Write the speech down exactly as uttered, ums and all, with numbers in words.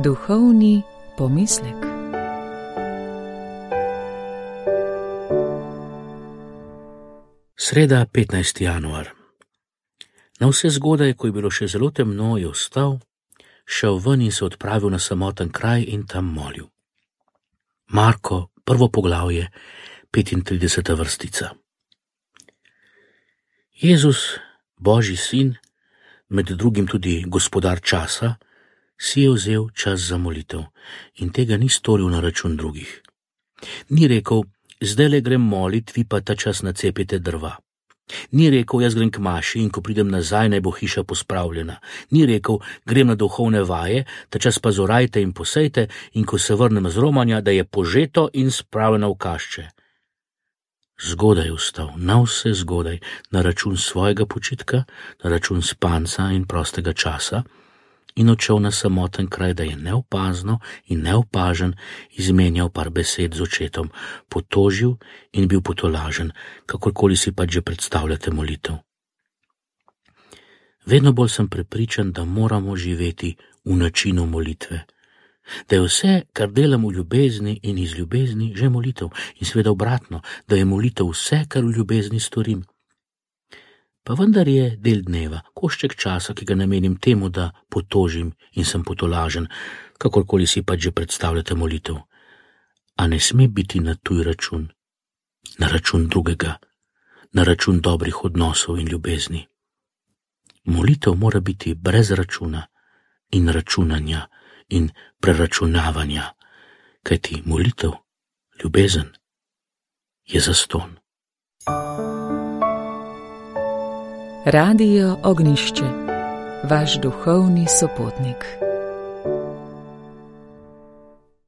Duhovni pomislek. Sreda, petnajsti januar. Na vse zgodaj, ko je bilo še zelo temno, je vstal, šel ven in se odpravil na samoten kraj in tam molil. Marko, prvo poglavje, petintrideseta vrstica. Jezus, Božji sin, med drugim tudi gospodar časa, si je vzel čas za molitev in tega ni storil na račun drugih. Ni rekel, zdajle grem molit, vi pa ta čas nacepite drva. Ni rekel, jaz grem k maši in ko pridem nazaj, naj bo hiša pospravljena. Ni rekel, grem na duhovne vaje, ta čas pa zorajte in posejte in ko se vrnem z romanja, da je požeto in spravljeno v kašče. Zgodaj je vstal, na vse zgodaj, na račun svojega počitka, na račun spanca in prostega časa in odšel na samoten kraj, da je neopazno in neopažen izmenjal par besed z očetom, potožil in bil potolažen, kakorkoli si pač že predstavljate molitev. Vedno bolj sem prepričan, da moramo živeti v načinu molitve, da je vse, kar delam v ljubezni in iz ljubezni, že molitev in seveda obratno, da je molitev vse, kar v ljubezni storim. Pa vendar je del dneva, košček časa, ki ga namenim temu, da potožim in sem potolažen, kakorkoli si pač že predstavljate molitev. A ne sme biti na tuj račun, na račun drugega, na račun dobrih odnosov in ljubezni. Molitev mora biti brez računa in računanja in preračunavanja, kajti molitev, ljubezen, je zastonj. Radio Ognjišče, vaš duhovni sopotnik.